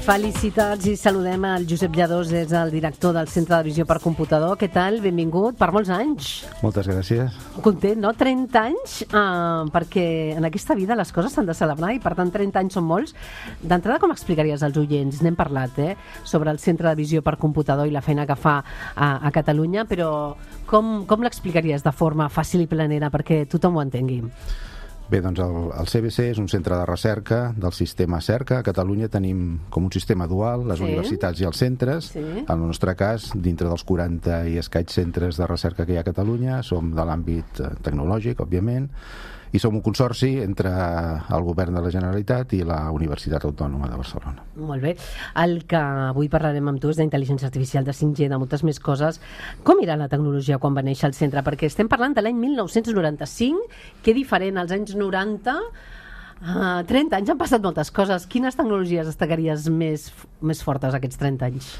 Felicitats i saludem al Josep Lladós, és el director del Centre de Visió per Computador. Què tal? Benvingut, per molts anys. Moltes gràcies. Content, no? 30 anys, perquè en aquesta vida les coses s'han de celebrar i per tant 30 anys són molts. D'entrada, com explicaries als oients? N'hem parlat, sobre el Centre de Visió per Computador i la feina que fa a Catalunya, però com l'explicaries de forma fàcil i planera perquè tothom ho entengui? Bé, doncs el CBC és un centre de recerca del sistema CERCA. A Catalunya tenim com un sistema dual, les universitats i els centres. En el nostre cas, dintre dels 40 i escaig centres de recerca que hi ha a Catalunya, som de l'àmbit tecnològic, òbviament, i som un consorci entre el govern de la Generalitat i la Universitat Autònoma de Barcelona. Molt bé. El que avui parlarem amb tu és d'intel·ligència artificial, de 5G, de moltes més coses. Com era la tecnologia quan va néixer el centre? Perquè estem parlant de l'any 1995, que diferent als anys 90... 30 anys han passat moltes coses. Quines tecnologies destacaries més fortes aquests 30 anys?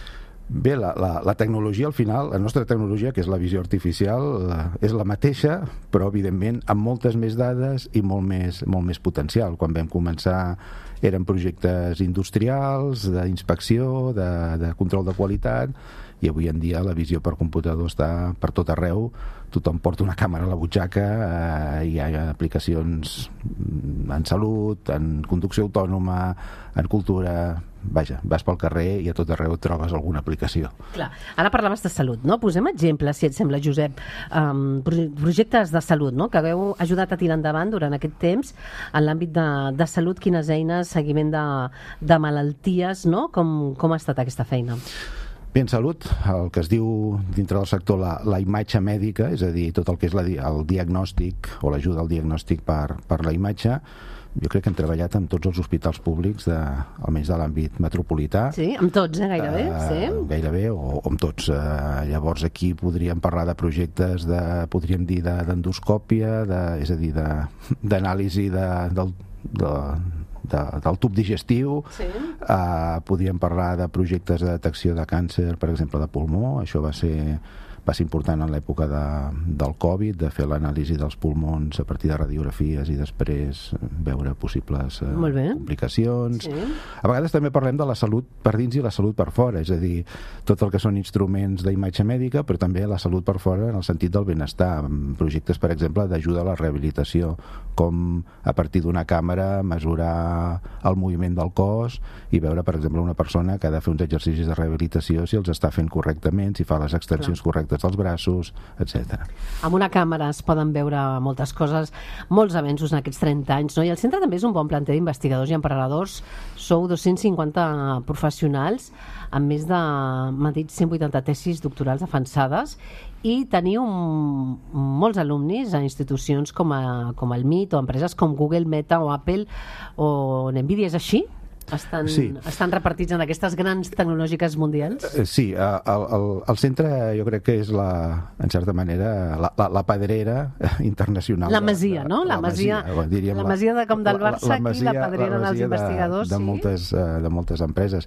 Bé, la tecnologia, al final, la nostra tecnologia, que és la visió artificial, és la mateixa, però, evidentment, amb moltes més dades i molt més potencial. Quan vam començar eren projectes industrials, d'inspecció, de control de qualitat, i avui en dia la visió per computador està per tot arreu. Tothom porta una càmera a la butxaca, hi ha aplicacions en salut, en conducció autònoma, en cultura. Vaja, vas pel carrer i a tot arreu trobes alguna aplicació. Clar. Ara parlaves de salut, no? Posem exemples, si et sembla, Josep. Projectes de salut, no?, que hagueu ajudat a tirar endavant durant aquest temps en l'àmbit de salut. Quines eines, seguiment de malalties, no? Com ha estat aquesta feina? Bé, en salut, el que es diu dintre del sector la imatge mèdica, és a dir, tot el que és el diagnòstic o l'ajuda al diagnòstic per la imatge, jo crec que hem treballat amb tots els hospitals públics, almenys de l'àmbit metropolità. Sí, amb tots, gairebé. Sí. Gairebé, o amb tots. Llavors aquí podríem parlar de projectes podríem dir d'endoscòpia, és a dir, d'anàlisi del tub digestiu. Sí. Podríem parlar de projectes de detecció de càncer, per exemple, de pulmó. Això va ser important en l'època del Covid, de fer l'anàlisi dels pulmons a partir de radiografies i després veure possibles complicacions. Sí. A vegades també parlem de la salut per dins i la salut per fora, és a dir, tot el que són instruments d'imatge mèdica, però també la salut per fora en el sentit del benestar. Projectes, per exemple, d'ajuda a la rehabilitació, com a partir d'una càmera mesurar el moviment del cos i veure, per exemple, una persona que ha de fer uns exercicis de rehabilitació, si els està fent correctament, si fa les extensions correctes dels braços, etc. Amb una càmera es poden veure moltes coses, molts avenços en aquests 30 anys, no? I el centre també és un bon planter d'investigadors i emprenedors. Sou 250 professionals amb més de, m'ha dit, 180 tesis doctorals avançades i teniu molts alumnis a institucions com el MIT o empreses com Google, Meta o Apple o Nvidia. És així? Estan repartits en aquestes grans tecnològiques mundials? Sí, el centre jo crec que és, en certa manera, la pedrera internacional. La masia, no? La masia de com del Barça, aquí la pedrera dels investigadors. De moltes empreses.